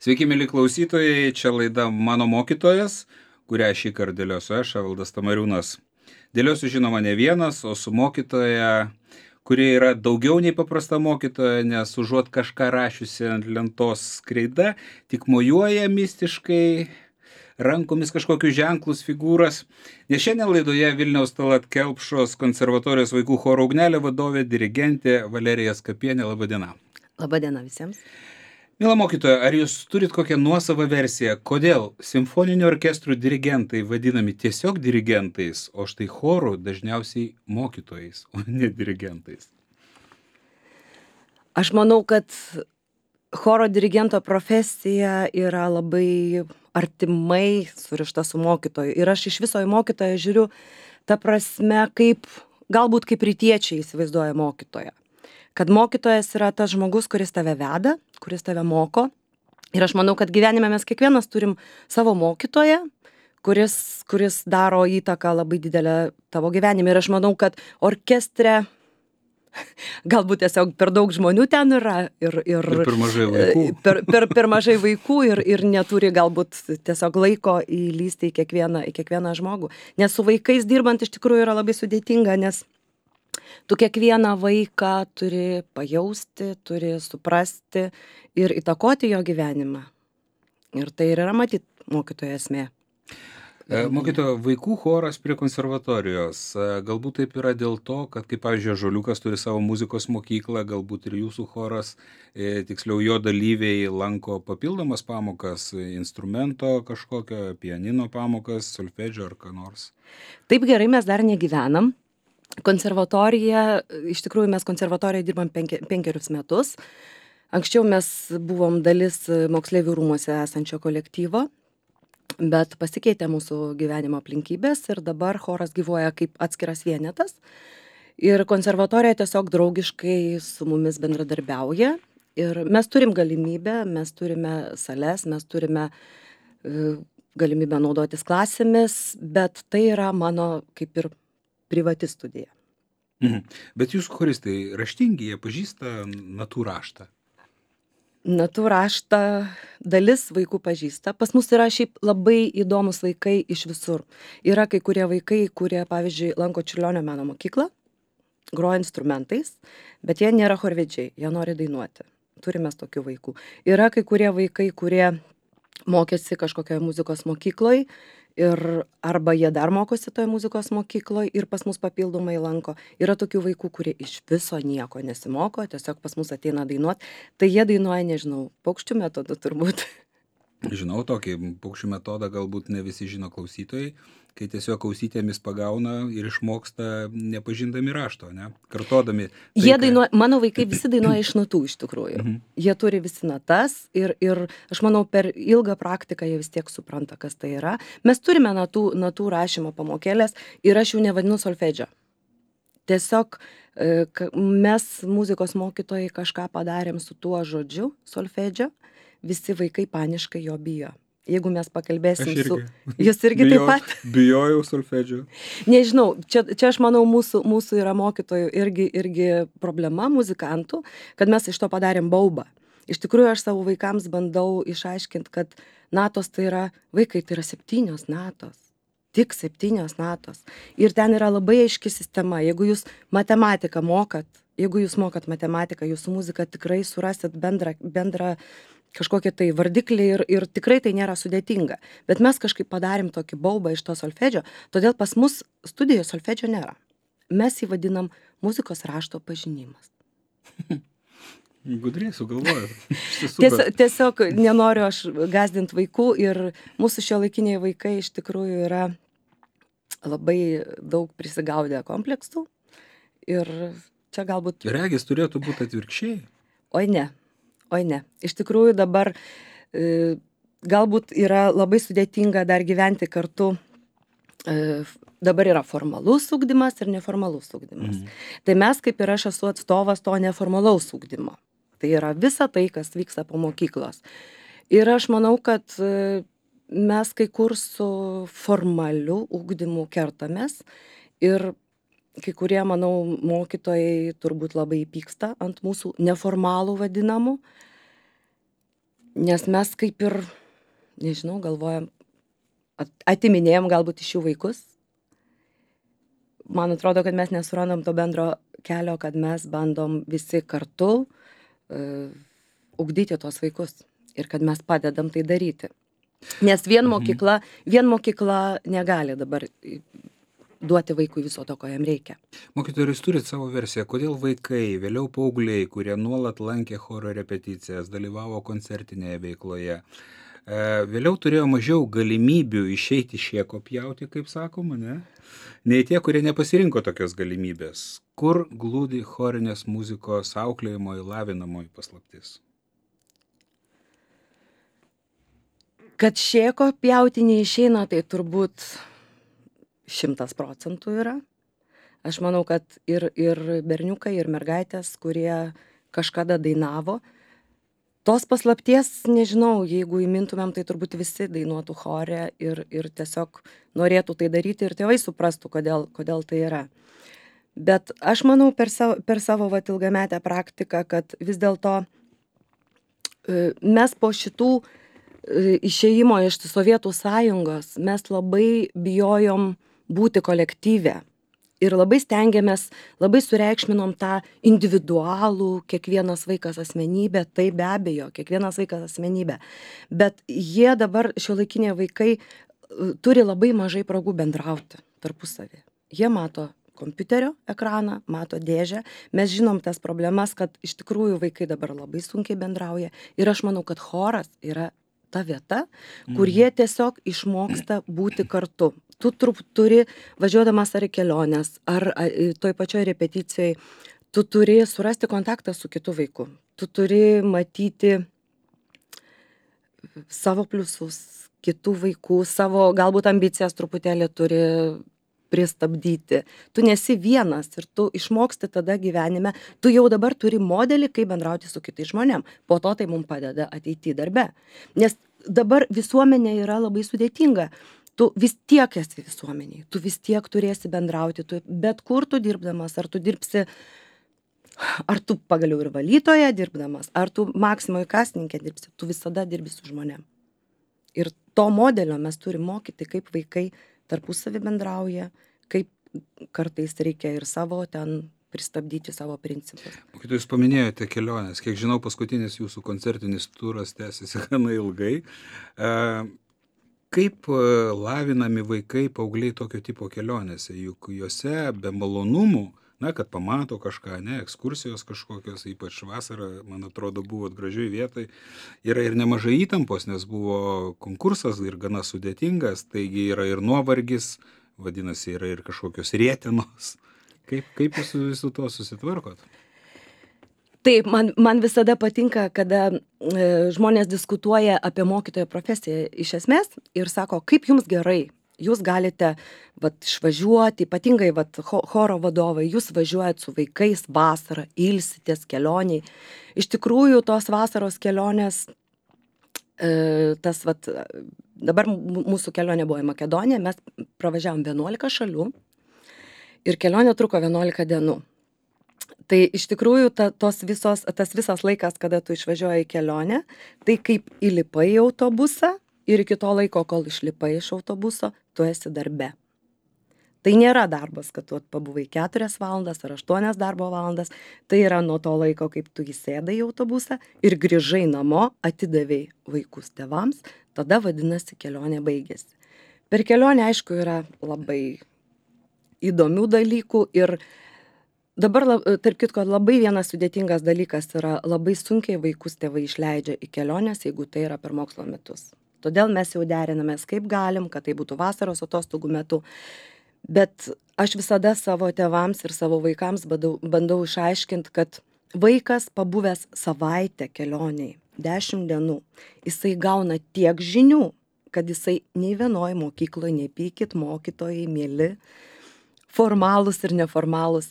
Sveiki, mėly klausytojai, čia laida Mano mokytojas, kurią šį kartą dėliosiu aš, Evaldas Tamariūnas. Dėliosiu žinoma ne vienas, o su mokytoja, kuri yra daugiau nei paprasta mokytoja, nes užuot kažką rašiusi ant lentos kreida, tik mojuoja mistiškai rankomis kažkokius ženklus, figūras. Nes šiandien laidoje Vilniaus Tallat Kelpšos konservatorijos vaikų choro Ugnelė vadovė, dirigentė Valerija Skapienė. Labadiena. Labadiena visiems. Mila mokytoja, ar jūs turit kokią nuosavą versiją, kodėl simfoninių orkestrų dirigentai vadinami tiesiog dirigentais, o štai chorų dažniausiai mokytojais, o ne dirigentais? Aš manau, kad choro dirigento profesija yra labai artimai surišta su mokytoju. Ir aš iš viso į mokytoją žiūriu ta prasme, galbūt kaip rytiečiai įsivaizduoja mokytoją. Kad mokytojas yra tas žmogus, kuris tave veda, kuris tave moko. Ir aš manau, kad gyvenime mes kiekvienas turim savo mokytoją, kuris daro įtaką labai didelę tavo gyvenime. Ir aš manau, kad orkestre galbūt tiesiog per daug žmonių ten yra ir per mažai vaikų. Per mažai vaikų ir neturi galbūt tiesiog laiko įlįsti į kiekvieną žmogų. Nes su vaikais dirbant iš tikrųjų yra labai sudėtinga, nes tu kiekvieną vaiką turi pajausti, turi suprasti ir įtakoti jo gyvenimą. Ir tai ir yra matyt mokytojo esmė. Mokytojo, vaikų choras prie konservatorijos. Galbūt taip yra dėl to, kad, kaip pavyzdžiui, Ąžuoliukas turi savo muzikos mokyklą, galbūt ir jūsų choras, tiksliau jo dalyviai lanko papildomas pamokas, instrumento kažkokio, pianino pamokas, solfedžio ar ką nors. Taip gerai mes dar negyvenam. Konservatorija, iš tikrųjų mes konservatorijoje dirbam 5 metus. Anksčiau mes buvom dalis moksleivių rūmuose esančio kolektyvo, bet pasikeitė mūsų gyvenimo aplinkybės ir dabar choras gyvuoja kaip atskiras vienetas. Ir konservatorija tiesiog draugiškai su mumis bendradarbiauja. Ir mes turim galimybę, mes turime sales, mes turime galimybę naudotis klasėmis, bet tai yra mano kaip ir privati studija. Bet jūs choristai raštingi, jie pažįsta natų raštą? Natų raštą dalis vaikų pažįsta. Pas mus yra šiaip labai įdomus vaikai iš visur. Yra kai kurie vaikai, kurie, pavyzdžiui, lanko Čiurlionio meno mokyklą, groja instrumentais, bet jie nėra chorvedžiai, jie nori dainuoti. Turime tokių vaikų. Yra kai kurie vaikai, kurie mokėsi kažkokioje muzikos mokykloje ir arba jie dar mokosi toje muzikos mokykloje ir pas mus papildomai lanko. Yra tokių vaikų, kurie iš viso nieko nesimoko, tiesiog pas mus ateina dainuoti. Tai jie dainuoja, nežinau, paukščių metodu turbūt. Žinau tokį paukščių metodą, galbūt ne visi žino klausytojai, kai tiesiog ausytėmis pagauna ir išmoksta nepažindami rašto, ne? Kartodami. Jie dainuoja, mano vaikai visi dainuoja iš natų iš tikrųjų. Jie turi visi natas ir aš manau per ilgą praktiką jie vis tiek supranta, kas tai yra. Mes turime natų rašymo pamokėlės ir aš jų nevadinu solfedžio. Tiesiog mes muzikos mokytojai kažką padarėm su tuo žodžiu solfedžio, visi vaikai paniškai jo bijo. Jeigu mes pakalbėsim su... Jūs irgi taip pat? Bijojau solfedžio. Nežinau, čia aš manau mūsų yra mokytojų irgi problema, muzikantų, kad mes iš to padarėm baubą. Iš tikrųjų, aš savo vaikams bandau išaiškinti, kad natos tai yra, vaikai tai yra 7 natos. Tik 7 natos. Ir ten yra labai aiški sistema. Jeigu jūs matematiką mokat, jeigu jūs mokat matematiką, jūsų muzika tikrai surasit bendrą kažkokie tai vardikliai ir tikrai tai nėra sudėtinga. Bet mes kažkaip padarėm tokį baubą iš to solfedžio, todėl pas mus studijoje solfedžio nėra. Mes jį vadinam muzikos rašto pažinimas. Gudriai sugalvoju. Tiesiog nenoriu aš gąsdinti vaikų ir mūsų šiuolaikiniai vaikai iš tikrųjų yra labai daug prisigaudę kompleksų ir čia galbūt... Regis turėtų būti atvirkščiai. Oi ne. Iš tikrųjų dabar galbūt yra labai sudėtinga dar gyventi kartu. Dabar yra formalus ugdymas ir neformalus ugdymas. Tai mes kaip ir aš esu atstovas to neformalaus ugdymo. Tai yra visa tai, kas vyksta po mokyklos. Ir aš manau, kad mes kai kur su formaliu ugdymu kertamės ir kai kurie, manau, mokytojai turbūt labai pyksta ant mūsų neformalų vadinamų. Nes mes kaip ir, nežinau, galvojam, atiminėjom galbūt iš jų vaikus. Man atrodo, kad mes nesurandam to bendro kelio, kad mes bandom visi kartu ugdyti tuos vaikus ir kad mes padedam tai daryti. Nes vien mokykla negali dabar duoti vaikui viso to, ko jam reikia. Mokytojai, ar jūs turit savo versiją, kodėl vaikai, vėliau paaugliai, kurie nuolat lankė choro repeticijas, dalyvavo koncertinėje veikloje, vėliau turėjo mažiau galimybių išeiti šieko pjauti, kaip sakoma, ne? Nei tie, kurie nepasirinko tokios galimybės. Kur glūdi chorinės muzikos auklėjimo įlavinamoji paslaptis? Kad šieko pjauti neišeina, tai turbūt 100% yra. Aš manau, kad ir berniukai, ir mergaitės, kurie kažkada dainavo, tos paslapties, nežinau, jeigu įmintumėm, tai turbūt visi dainuotų chore ir tiesiog norėtų tai daryti ir tėvai suprastų, kodėl tai yra. Bet aš manau per savo vat ilgametę praktiką, kad vis dėlto mes po šitų išėjimo iš Sovietų sąjungos mes labai bijojom būti kolektyve. Ir labai stengiamės, labai sureikšminom tą individualų, kiekvienas vaikas asmenybė, tai be abejo, kiekvienas vaikas asmenybė. Bet jie dabar, šiuolaikiniai vaikai, turi labai mažai progų bendrauti tarpusavį. Jie mato kompiuterio ekraną, mato dėžę. Mes žinom tas problemas, kad iš tikrųjų vaikai dabar labai sunkiai bendrauja. Ir aš manau, kad choras yra ta vieta, kur jie tiesiog išmoksta būti kartu. Tu turi, važiuodamas ar į keliones, ar toj pačioj repeticijoj, tu turi surasti kontaktą su kitu vaiku. Tu turi matyti savo pliusus, kitų vaikų, savo galbūt ambicijas truputėlį turi pristabdyti. Tu nesi vienas ir tu išmoksti tada gyvenime. Tu jau dabar turi modelį, kaip bendrauti su kitais žmonėm. Po to tai mums padeda ateity darbe. Nes dabar visuomenė yra labai sudėtinga. Tu vis tiek esi visuomeniai, tu vis tiek turėsi bendrauti, bet kur tu dirbdamas, ar tu dirbsi, ar tu pagaliau ir valytoje dirbdamas, ar tu Maksimoj kasininkė dirbsi, tu visada dirbi su žmonėm. Ir to modelio mes turim mokyti, kaip vaikai tarpusavį bendrauja, kaip kartais reikia ir savo ten pristabdyti savo principus. Jūs paminėjote keliones. Kiek žinau, paskutinis jūsų koncertinis turas tęsiasi gana ilgai. Kaip lavinami vaikai, paaugliai tokio tipo kelionėse? Juk juose be malonumų, kad pamato kažką, ekskursijos kažkokios, ypač vasarą, man atrodo, buvot gražioj vietoj, yra ir nemažai įtampos, nes buvo konkursas ir gana sudėtingas, taigi yra ir nuovargis, vadinasi, yra ir kažkokios rietenos. Kaip jūs su visu to susitvarkot? Taip, man visada patinka, kada žmonės diskutuoja apie mokytojo profesiją iš esmės ir sako, kaip jums gerai, jūs galite išvažiuoti, ypatingai choro vadovai, jūs važiuojat su vaikais vasarą, ilsitės kelioniai. Iš tikrųjų, tos vasaros kelionės, dabar mūsų kelionė buvo į Makedoniją, mes pravažiavom 11 šalių ir kelionė truko 11 dienų. Tai iš tikrųjų tas visas laikas, kada tu išvažiuoji į kelionę, tai kaip įlipai į autobusą ir iki to laiko, kol išlipai iš autobuso, tu esi darbe. Tai nėra darbas, kad tu pabuvai 4 valandas ar 8 darbo valandas, tai yra nuo to laiko, kaip tu įsėdai į autobusą ir grįžai namo, atidavei vaikus tėvams, tada vadinasi kelionė baigėsi. Per kelionę, aišku, yra labai įdomių dalykų ir dabar, tarp kitko, labai vienas sudėtingas dalykas yra labai sunkiai vaikus tėvai išleidžia į keliones, jeigu tai yra per mokslo metus. Todėl mes jau derinamės kaip galim, kad tai būtų vasaros atostogų metu. Bet aš visada savo tėvams ir savo vaikams bandau išaiškinti, kad vaikas pabuvęs savaitę kelioniai, 10 dienų, jisai gauna tiek žinių, kad jisai nei vienoj mokykloje, nei pykit mokytojai, mieli, formalūs ir neformalūs,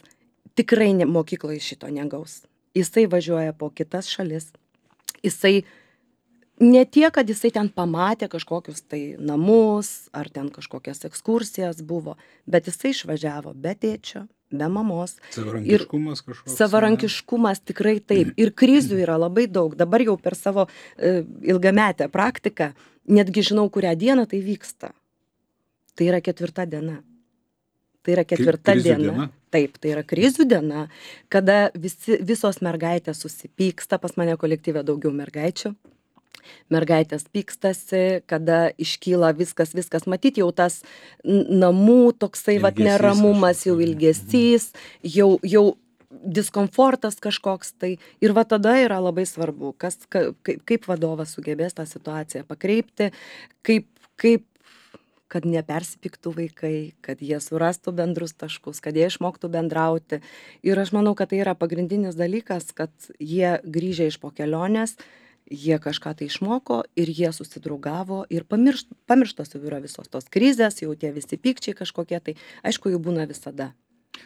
tikrai mokykloje šito negaus. Jisai važiuoja po kitas šalis. Jisai ne tiek, kad jisai ten pamatė kažkokius tai namus, ar ten kažkokias ekskursijas buvo, bet jisai išvažiavo be tėčio, be mamos. Savarankiškumas kažkoks. Savarankiškumas tikrai taip. Ir krizių yra labai daug. Dabar jau per savo ilgametę praktiką, netgi žinau, kurią dieną tai vyksta. Tai yra 4. diena. Tai yra 4. diena. Taip, tai yra krizių diena, kada visos mergaitės susipyksta, pas mane kolektyve daugiau mergaičių. Mergaitės pykstasi, kada iškyla viskas, matyti jau tas namų toksai neramumas, jau ilgesys, jau diskomfortas kažkoks tai. Ir tada yra labai svarbu, kaip vadovas sugebės tą situaciją pakreipti, kaip kad nepersipyktų vaikai, kad jie surastų bendrus taškus, kad jie išmoktų bendrauti. Ir aš manau, kad tai yra pagrindinis dalykas, kad jie grįžę iš po kelionės, jie kažką tai išmoko ir jie susidraugavo ir pamirštos jau yra visos tos krizės, jau tie visi pykčiai kažkokie, tai aišku, jų būna visada.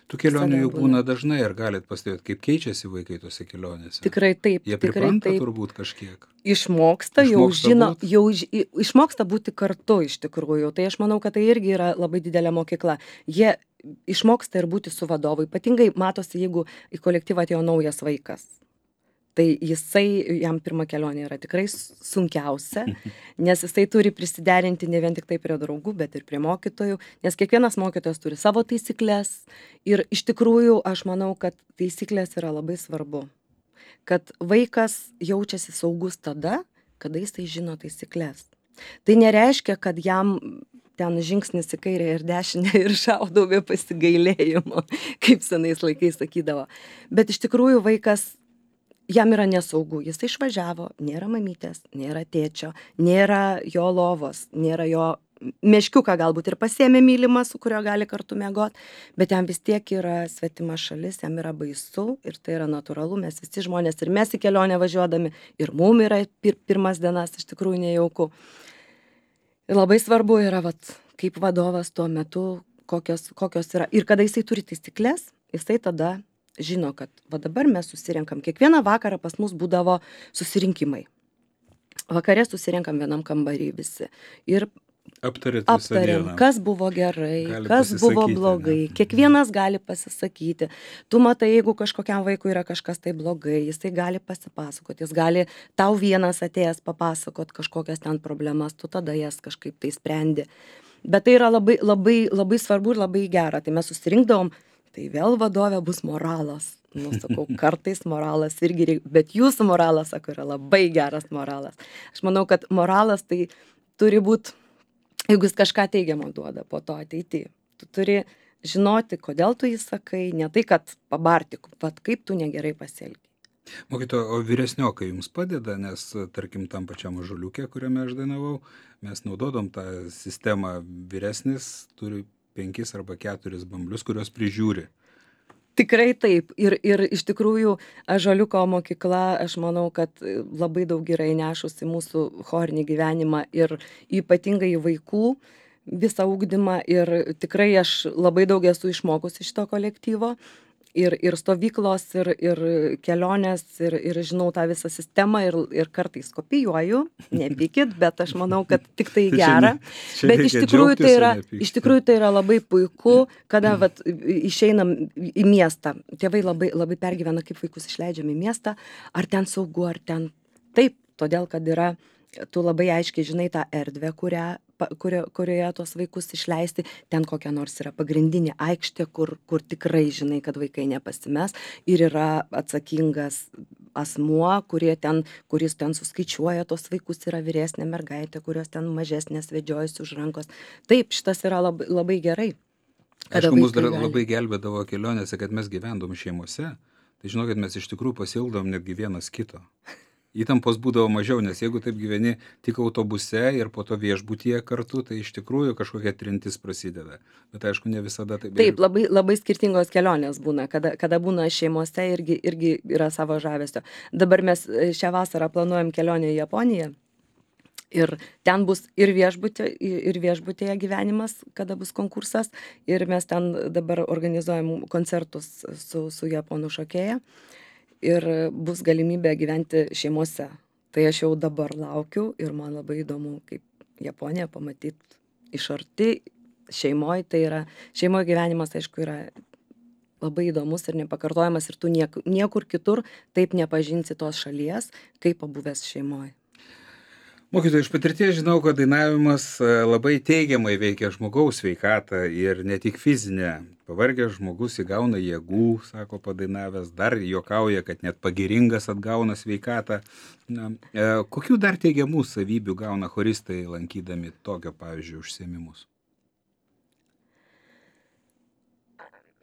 Tų kelionių jau būna dažnai, ar galit pastebėti, kaip keičiasi vaikai tose kelionėse? Tikrai taip. Jie pripranta turbūt kažkiek. Išmoksta, jau žino, išmoksta būti kartu iš tikrųjų. Tai aš manau, kad tai irgi yra labai didelė mokykla. Jie išmoksta ir būti su vadovu. Ypatingai matosi, jeigu į kolektyvą atėjo naujas vaikas. Tai jam pirma kelionė yra tikrai sunkiausia, nes jisai turi prisiderinti ne vien tik tai prie draugų, bet ir prie mokytojų, nes kiekvienas mokytojas turi savo taisyklės ir iš tikrųjų aš manau, kad taisyklės yra labai svarbu, kad vaikas jaučiasi saugus tada, kada jisai žino taisyklės. Tai nereiškia, kad jam ten žingsnis į kairę ir dešinę ir šaudau be pasigailėjimo, kaip senais laikais sakydavo. Bet iš tikrųjų vaikas jam yra nesaugu, jis išvažiavo, nėra mamytės, nėra tėčio, nėra jo lovos, nėra jo meškiuką galbūt ir pasiėmė mylimą, su kurio gali kartu miegot, bet jam vis tiek yra svetima šalis, jam yra baisu ir tai yra natūralu, mes visi žmonės ir mes į kelionę važiuodami ir mum yra pirmas dienas iš tikrųjų nejauku. Ir labai svarbu yra, kaip vadovas tuo metu, kokios yra ir kada jisai turi taisyklės, jisai tada žino, kad dabar mes susirenkam. Kiekvieną vakarą pas mus būdavo susirinkimai. Vakare susirenkam vienam kambarį visi. Ir aptariam, kas buvo gerai, kas buvo blogai. Kiekvienas gali pasisakyti. Tu matai, jeigu kažkokiam vaikui yra kažkas tai blogai, jisai gali pasipasakoti, jis gali tau vienas atėjęs papasakot kažkokias ten problemas, tu tada jas kažkaip tai sprendi. Bet tai yra labai, labai, labai svarbu ir labai gera. Tai mes susirinkdavom. Tai vėl vadovė bus moralas. Sakau, kartais moralas irgi reikia, bet jūsų moralas, sako, yra labai geras moralas. Aš manau, kad moralas tai turi būti, jeigu jis kažką teigiamo duoda po to ateityje. Tu turi žinoti, kodėl tu jį sakai, ne tai, kad pabarti, kaip tu negerai pasielgi. Mokytoja, o vyresniokai jums padeda, nes, tarkim, tam pačiam ąžuoliuke, kuriame aš dainavau, mes naudodom tą sistemą, vyresnis turi 5 arba 4 bamblius, kurios prižiūri. Tikrai taip. Ir iš tikrųjų ąžuoliuko mokykla, aš manau, kad labai daug yra įnešusi mūsų chorinį gyvenimą ir ypatingai vaikų visą ugdymą. Ir tikrai aš labai daug esu išmokusi iš to kolektyvo. Ir stovyklos, ir kelionės, ir žinau tą visą sistemą, ir kartais kopijuoju, nepykit, bet aš manau, kad tik tai gera. Bet iš tikrųjų tai yra labai puiku, kada išeinam į miestą. Tėvai labai, labai pergyvena, kaip vaikus išleidžiam į miestą, ar ten saugu, ar ten taip, todėl, kad yra, tu labai aiškiai žinai tą erdvę, kurioje tos vaikus išleisti, ten kokia nors yra pagrindinė aikštė, kur tikrai žinai, kad vaikai nepasimes ir yra atsakingas asmuo, kuris ten suskaičiuoja tos vaikus, yra vyresnė mergaitė, kurios ten mažesnės vedžiojasi už rankos. Taip, šitas yra labai, labai gerai. Aišku, mus dar labai gelbėdavo kelionėse, kad mes gyvendom šeimose, tai žinokit, mes iš tikrųjų pasiildom netgi vienas kito. Įtampos būdavo mažiau, nes jeigu taip gyveni tik autobuse ir po to viešbutyje kartu, tai iš tikrųjų kažkokia trintis prasideda. Bet aišku, ne visada taip. Taip, labai, labai skirtingos kelionės būna, kada būna šeimose irgi yra savo žavesio. Dabar mes šią vasarą planuojam kelionę į Japoniją. Ir ten bus ir viešbutyje gyvenimas, kada bus konkursas. Ir mes ten dabar organizuojam koncertus su japonų šokėja. Ir bus galimybė gyventi šeimose. Tai aš jau dabar laukiu ir man labai įdomu, kaip Japoniją pamatyti iš arti šeimoje. Tai yra, šeimoje gyvenimas, aišku, yra labai įdomus ir nepakartojamas ir tu niekur kitur taip nepažinsi tos šalies, kaip pabuvęs šeimoje. Mokytojai, iš patirties žinau, kad dainavimas labai teigiamai veikia žmogaus sveikatą ir ne tik fizinę. Pavargęs žmogus įgauna jėgų, sako padainavęs, dar juokauja, kad net pagiringas atgauna sveikatą. Na, kokių dar teigiamų savybių gauna choristai lankydami tokio, pavyzdžiui, užsiėmimus?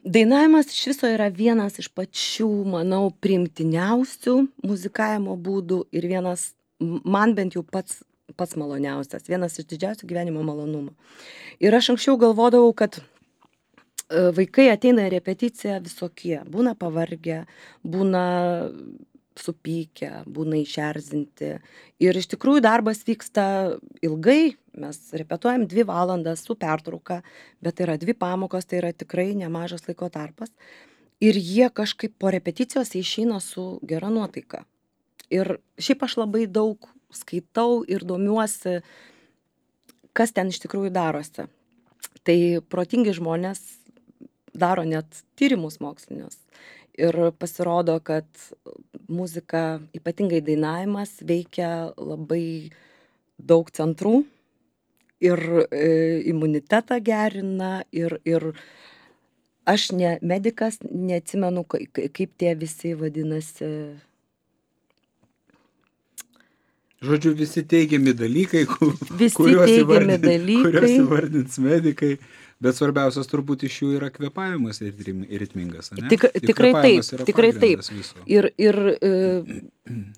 Dainavimas iš viso yra vienas iš pačių, manau, priimtiniausių muzikavimo būdų ir vienas, man bent jau pats maloniausias, vienas iš didžiausių gyvenimo malonumų. Ir aš anksčiau galvodavau, kad vaikai ateina į repeticiją visokie, būna pavargę, būna supykę, būna išerzinti. Ir iš tikrųjų darbas vyksta ilgai, mes repetuojam 2 valandas su pertrauka, bet tai yra 2 pamokos, tai yra tikrai nemažas laiko tarpas. Ir jie kažkaip po repeticijos išeina su gera nuotaika. Ir šiaip aš labai daug skaitau ir domiuosi, kas ten iš tikrųjų darosi. Tai protingi žmonės daro net tyrimus mokslinius. Ir pasirodo, kad muzika, ypatingai dainavimas, veikia labai daug centrų ir imunitetą gerina ir aš ne medikas, neatsimenu, kaip tie visi vadinasi. Žodžiu, visi teigiami dalykai, Visi teigiami dalykai. kuriuos įvardins medikai, bet svarbiausias turbūt iš jų yra kvėpavimas ir ritmingas, ne? Tikrai taip, tikrai taip. Viso. Ir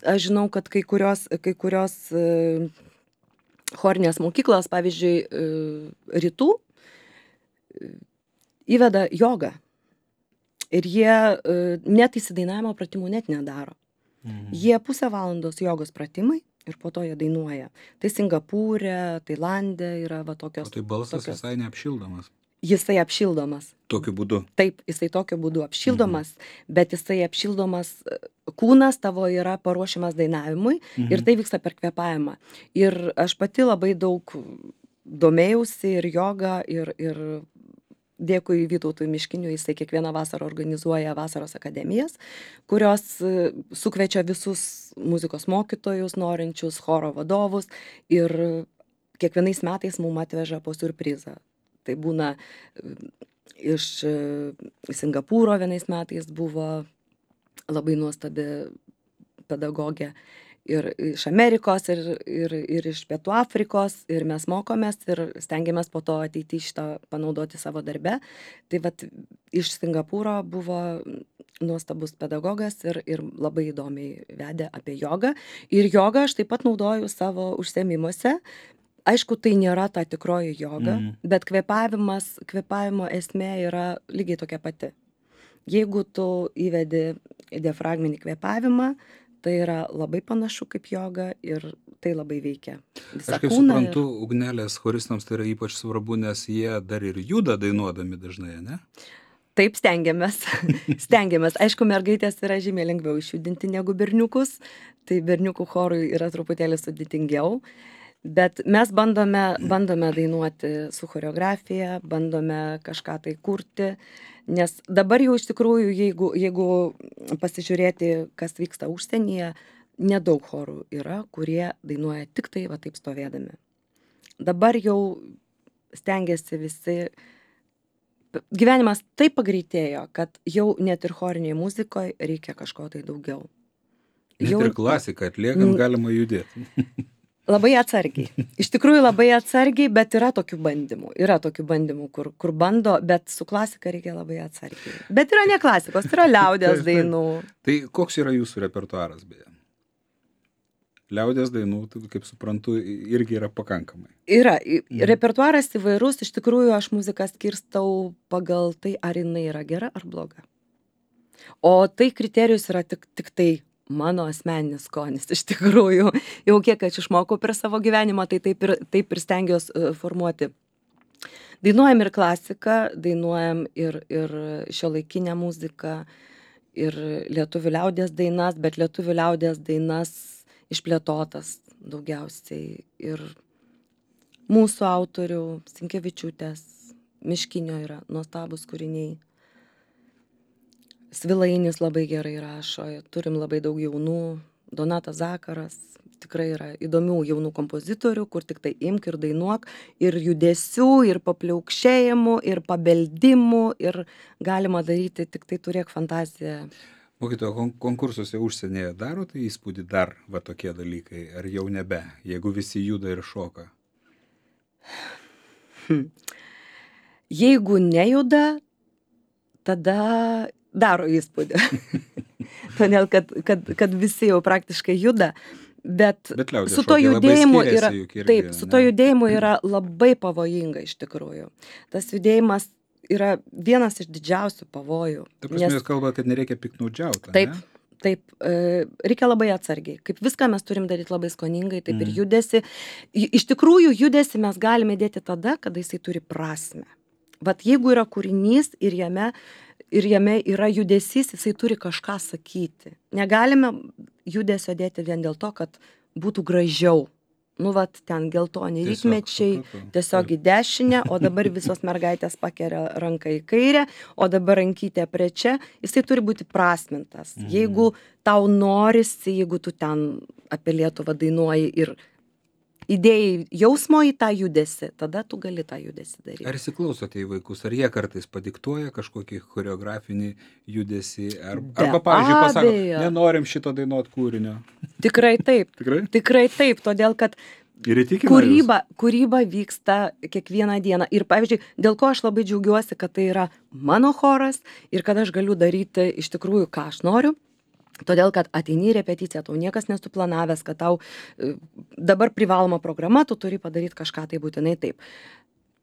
aš žinau, kad kai kurios chorinės mokyklos, pavyzdžiui, rytų, įveda jogą. Ir jie net įsidainavimo pratimų net nedaro. Jie 0,5 valandos jogos pratimai ir po to jie dainuoja. Tai Singapūre, Tailande yra va tokios. O tai balsas visai neapšildomas. Jisai apšildomas. Tokiu būdu. Taip, jisai tokiu būdu apšildomas, bet jisai apšildomas, kūnas tavo yra paruošiamas dainavimui ir tai vyksta per kvėpavimą. Ir aš pati labai daug domėjausi ir jogą ir dėkui Vytautui Miškiniui, jisai kiekvieną vasarą organizuoja vasaros akademijas, kurios sukviečia visus muzikos mokytojus, norinčius, choro vadovus ir kiekvienais metais mums atveža po siurprizą. Tai būna iš Singapūro vienais metais buvo labai nuostabi pedagogė ir iš Amerikos ir iš Pietų Afrikos ir mes mokomės ir stengiamės po to ateiti šitą panaudoti savo darbe. Tai vat iš Singapūro buvo nuostabus pedagogas ir labai įdomiai vedė apie jogą. Ir jogą aš taip pat naudoju savo užsiėmimuose. Aišku, tai nėra ta tikroji joga, bet kvėpavimo esmė yra lygiai tokia pati. Jeigu tu įvedi diafragminį kvėpavimą, tai yra labai panašu kaip joga ir tai labai veikia visą kūną. Aš kaip suprantu, ugnelės choristams tai yra ypač svarbu, nes jie dar ir juda dainuodami dažnai, ne? Taip, stengiamės. Aišku, mergaitės yra žymiai lengviau išjudinti negu berniukus, tai berniukų chorui yra truputėlį sudėtingiau. Bet mes bandome dainuoti su choreografija, bandome kažką tai kurti, nes dabar jau iš tikrųjų, jeigu pasižiūrėti, kas vyksta užsienyje, nedaug chorų yra, kurie dainuoja tik tai va taip stovėdami. Dabar jau stengiasi visi, gyvenimas taip pagreitėjo, kad jau net ir choriniai muzikoje reikia kažko tai daugiau. Net ir klasiką atliekant galima judėti. Labai atsargiai. Iš tikrųjų labai atsargiai, bet yra tokių bandymų, kur bando, bet su klasika reikia labai atsargiai. Bet yra ne klasikos, yra liaudies dainų. Tai koks yra jūsų repertuaras, beje? Liaudies dainų, kaip suprantu, irgi yra pakankamai. Yra. Repertuaras įvairus, iš tikrųjų aš muziką skirstau pagal tai, ar jinai yra gera ar bloga. O tai kriterijus yra tik tai mano asmeninis skonis, iš tikrųjų. Jau kiek aš išmokau per savo gyvenimą, tai taip ir stengiuosi formuoti. Dainuojam ir klasiką, dainuojam ir šiuolaikinę muziką, ir lietuvių liaudies dainas, bet lietuvių liaudies dainas išplėtotas daugiausiai. Ir mūsų autorių, Sinkevičiūtės, Miškinio yra nuostabus kūriniai. Svilainis labai gerai rašo, turim labai daug jaunų, Donatas Zakaras, tikrai yra įdomių jaunų kompozitorių, kur tik tai imk ir dainuok, ir judesių, ir papliaukšėjimų, ir pabeldimų, ir galima daryti, tik tai turėk fantaziją. Mokytojo, konkursuose užsienyje daro tai įspūdį dar va tokie dalykai, ar jau nebe, jeigu visi juda ir šoka? Jeigu nejuda, tada daro įspūdį. Todėl, kad visi jau praktiškai juda. Bet liaudies su to šokiai labai judėjimu skiriasi yra, juk irgi, taip, su to judėjimu yra labai pavojinga iš tikrųjų. Tas judėjimas yra vienas iš didžiausių pavojų. Ta prasme, jūs kalbate, kad nereikia piknaudžiauti, Taip, ne? taip, reikia labai atsargiai. Kaip viską mes turim daryti labai skoningai, taip ir judesi. Iš tikrųjų, judesi mes galime dėti tada, kada jisai turi prasmę. Vat jeigu yra kūrinys ir jame yra judesys, jisai turi kažką sakyti. Negalime judesio dėti vien dėl to, kad būtų gražiau. Nu, vat ten geltoni rytmečiai, tiesiog į dešinę, o dabar visos mergaitės pakelia ranką į kairę, o dabar rankytė prie čia. Jisai turi būti prasmintas. Jeigu tau norisi, jeigu tu ten apie Lietuvą dainuoji ir įdėjai jausmo į tą judesį, tada tu gali tą judesį daryti. Ar įsiklausote į vaikus, ar jie kartais padiktuoja kažkokį choreografinį judesį, arba, pavyzdžiui, pasako, nenorim šito dainuot kūrinio? Tikrai taip. Tikrai taip, todėl kad kūryba vyksta kiekvieną dieną. Ir, pavyzdžiui, dėl ko aš labai džiaugiuosi, kad tai yra mano choras ir kad aš galiu daryti iš tikrųjų, ką aš noriu. Todėl, kad ateini į repeticiją, tau niekas nesuplanavęs, kad tau dabar privaloma programa, tu turi padaryti kažką tai būtinai taip.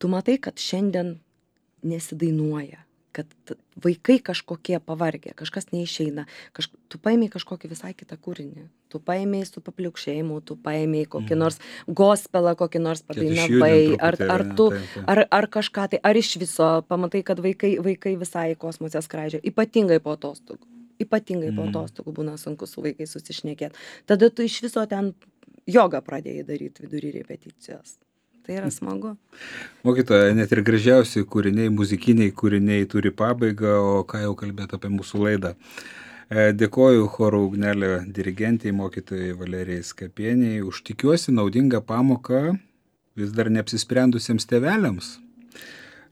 Tu matai, kad šiandien nesidainuoja, kad vaikai kažkokie pavargę, kažkas neišeina, tu paėmei kažkokį visai kitą kūrinį, tu paėmei su papliaukšėjimu, tu paėmei kokį nors gospelą, kokį nors padainavai, ar kažką tai, ar iš viso pamatai, kad vaikai visai į kosmosą skraidžia, ypatingai po atostogų. Ypatingai po atostogų būna sunku su vaikais susišnekėti. Tada tu iš viso ten jogą pradėjai daryti vidury repeticijos. Tai yra smagu. Mokytoja, net ir gražiausi kūriniai, muzikiniai kūriniai turi pabaigą, o ką jau kalbėti apie mūsų laidą. Dėkoju choro Ugnelė dirigentei, mokytojai Valerijai Skapieniai, už tikiuosi naudingą pamoką vis dar neapsisprendusiems tėveliams,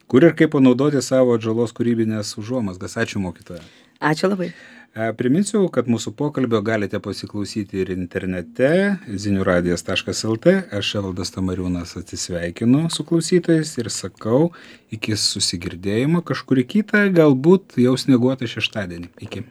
kur ir kaip panaudoti savo atžalos kūrybinės užuomazgas. Ačiū, mokytoja. Ačiū labai. Priminsiu, kad mūsų pokalbio galite pasiklausyti ir internete ziniuradijas.lt. Aš Evaldas Tamariūnas atsisveikinu su klausytojais ir sakau iki susigirdėjimo kažkurį kitą, galbūt jau snieguotą šeštadienį. Iki.